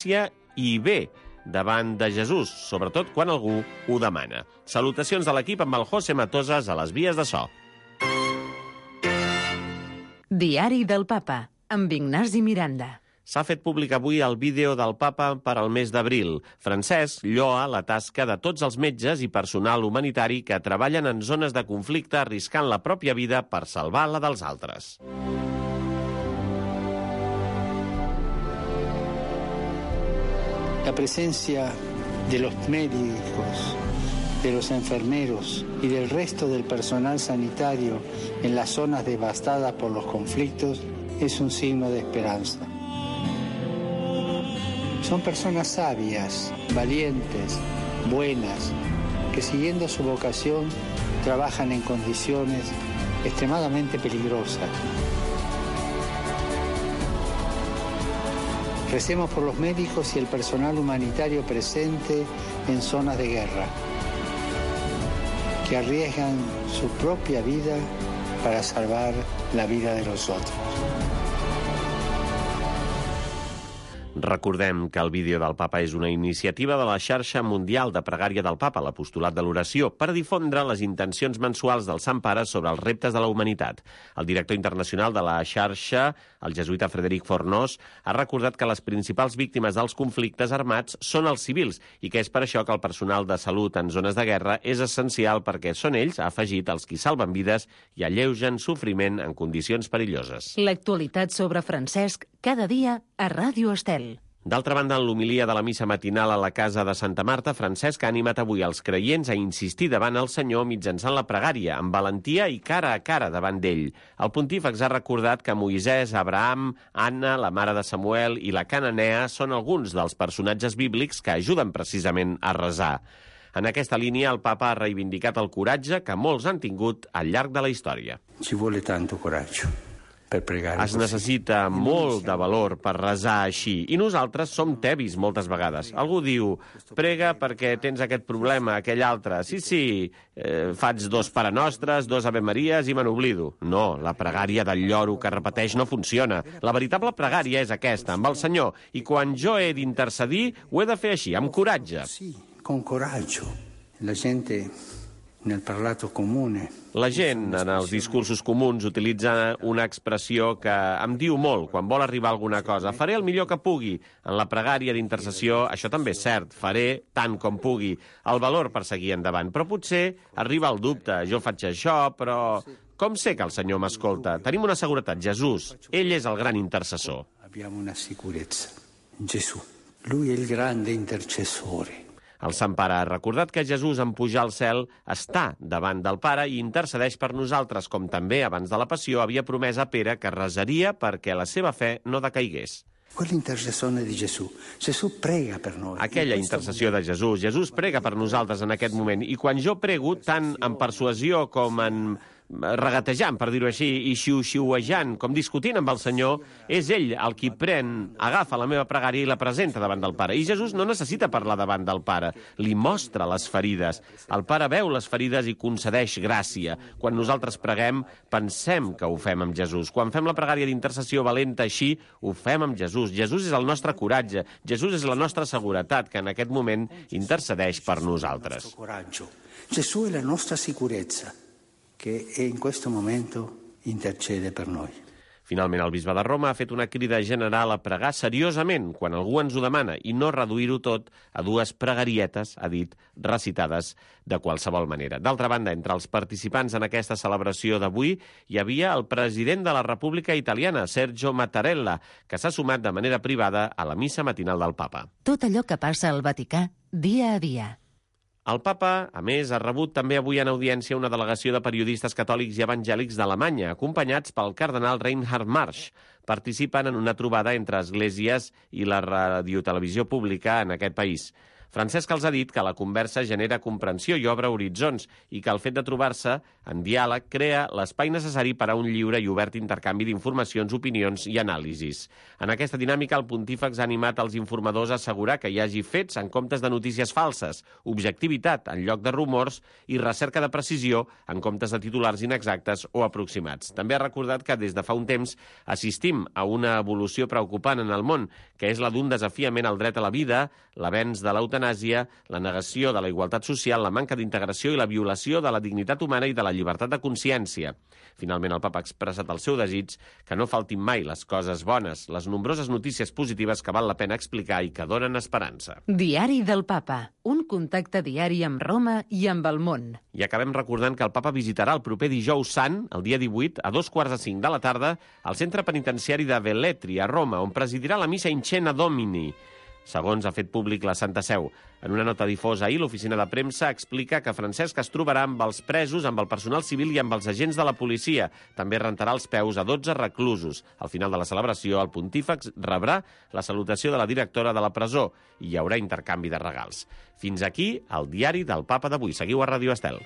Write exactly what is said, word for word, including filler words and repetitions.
i bé davant de Jesús, sobretot quan algú ho demana. Salutacions de l'equip amb el José Matosas a les vies de so. Diari del Papa, amb Ignasi Miranda. S'ha fet públic avui el vídeo del papa per al mes d'abril. Francesc lloa la tasca de tots els metges i personal humanitari que treballen en zones de conflicte arriscant la pròpia vida per salvar la dels altres. La presencia de los médicos, de los enfermeros y del resto del personal sanitario en las zonas devastadas por los conflictos es un signo de esperanza. Son personas sabias, valientes, buenas, que siguiendo su vocación trabajan en condiciones extremadamente peligrosas. Recemos por los médicos y el personal humanitario presente en zonas de guerra, que arriesgan su propia vida para salvar la vida de los otros. Recordem que el vídeo del papa és una iniciativa de la xarxa mundial de pregària del papa, l'apostolat de l'oració, per difondre les intencions mensuals del Sant Pare sobre els reptes de la humanitat. El director internacional de la xarxa, el jesuïta Frederic Fornós, ha recordat que les principals víctimes dels conflictes armats són els civils i que és per això que el personal de salut en zones de guerra és essencial perquè són ells, ha afegit, els qui salven vides i alleugen sofriment en condicions perilloses. L'actualitat sobre Francesc cada dia a Ràdio Estel. D'altra banda, en l'homilia de la missa matinal a la casa de Santa Marta, Francesc ha animat avui els creients a insistir davant el Senyor mitjançant la pregària, amb valentia i cara a cara davant d'ell. El pontífex ha recordat que Moisès, Abraham, Anna, la mare de Samuel i la Cananea són alguns dels personatges bíblics que ajuden precisament a resar. En aquesta línia, el papa ha reivindicat el coratge que molts han tingut al llarg de la història. Ci vuole tanto coraggio. Es necessita molt de valor per resar així, i nosaltres som tebis moltes vegades. Algú diu, prega perquè tens aquest problema, aquell altre. Sí, sí, eh, faig dos parenostres, dos avemaries i me n'oblido. No, la pregària del lloro que repeteix no funciona. La veritable pregària és aquesta, amb el Senyor, i quan jo he d'intercedir, ho he de fer així, amb coratge. Sí, con coraggio. La gente nel parlato comune. La gent, en els discursos comuns, utilitza una expressió que em diu molt quan vol arribar a alguna cosa. Faré el millor que pugui. En la pregària d'intercessió, això també és cert. Faré tant com pugui. El valor per seguir endavant. Però potser arriba el dubte. Jo faig això, però com sé que el Senyor m'escolta? Tenim una seguretat. Jesús, ell és el gran intercessor. Abbiamo una sicurezza. Gesù. Lui è il grande intercessore. El Sant Pare ha recordat que Jesús, en pujar al cel, està davant del Pare i intercedeix per nosaltres, com també, abans de la passió, havia promès a Pere que resaria perquè la seva fe no decaigués. Quell'intercessione di Gesù. Gesù prega per noi. Aquella intercessió de Jesús. Jesús prega per nosaltres en aquest moment. I quan jo prego, tant en persuasió com en regatejant, per dir-ho així, i xiu-xiuejant, com discutint amb el Senyor, és ell el qui pren, agafa la meva pregària i la presenta davant del Pare. I Jesús no necessita parlar davant del Pare, li mostra les ferides. El Pare veu les ferides i concedeix gràcia. Quan nosaltres preguem, pensem que ho fem amb Jesús. Quan fem la pregària d'intercessió valenta així, ho fem amb Jesús. Jesús és el nostre coratge, Jesús és la nostra seguretat, que en aquest moment intercedeix per nosaltres. Gesù è la nostra sicurezza, que en questo momento intercede per noi. Finalment, el bisbe de Roma ha fet una crida general a pregar seriosament quan algú ens ho demana i no reduir-ho tot a dues pregarietes, ha dit, recitades de qualsevol manera. D'altra banda, entre els participants en aquesta celebració d'avui hi havia el president de la República Italiana, Sergio Mattarella, que s'ha sumat de manera privada a la missa matinal del Papa. Tot allò que passa al Vaticà, dia a dia. El papa, a més, ha rebut també avui en audiència una delegació de periodistes catòlics i evangèlics d'Alemanya, acompanyats pel cardenal Reinhard Marsch. Participen en una trobada entre esglésies i la radiotelevisió pública en aquest país. Francesc els ha dit que la conversa genera comprensió i obre horitzons i que el fet de trobar-se en diàleg crea l'espai necessari per a un lliure i obert intercanvi d'informacions, opinions i anàlisis. En aquesta dinàmica, el pontífex ha animat els informadors a assegurar que hi hagi fets en comptes de notícies falses, objectivitat en lloc de rumors i recerca de precisió en comptes de titulars inexactes o aproximats. També ha recordat que des de fa un temps assistim a una evolució preocupant en el món, que és la d'un desafiament al dret a la vida, l'avenç de l'eutanàsia, la negació de la igualtat social, la manca d'integració i la violació de la dignitat humana i de la llibertat de consciència. Finalment, el papa ha expressat el seu desig que no faltin mai les coses bones, les nombroses notícies positives que val la pena explicar i que donen esperança. Diari del Papa, un contacte diari amb Roma i amb el món. I acabem recordant que el papa visitarà el proper dijous sant, el dia divuit, a dos quarts de cinc de la tarda, al centre penitenciari de Velletri, a Roma, on presidirà la missa in Cena Domini, segons ha fet públic la Santa Seu. En una nota difosa ahir, l'oficina de premsa explica que Francesc es trobarà amb els presos, amb el personal civil i amb els agents de la policia. També rentarà els peus a dotze reclusos. Al final de la celebració, el pontífex rebrà la salutació de la directora de la presó i hi haurà intercanvi de regals. Fins aquí el diari del Papa d'avui. Seguiu a Ràdio Estel.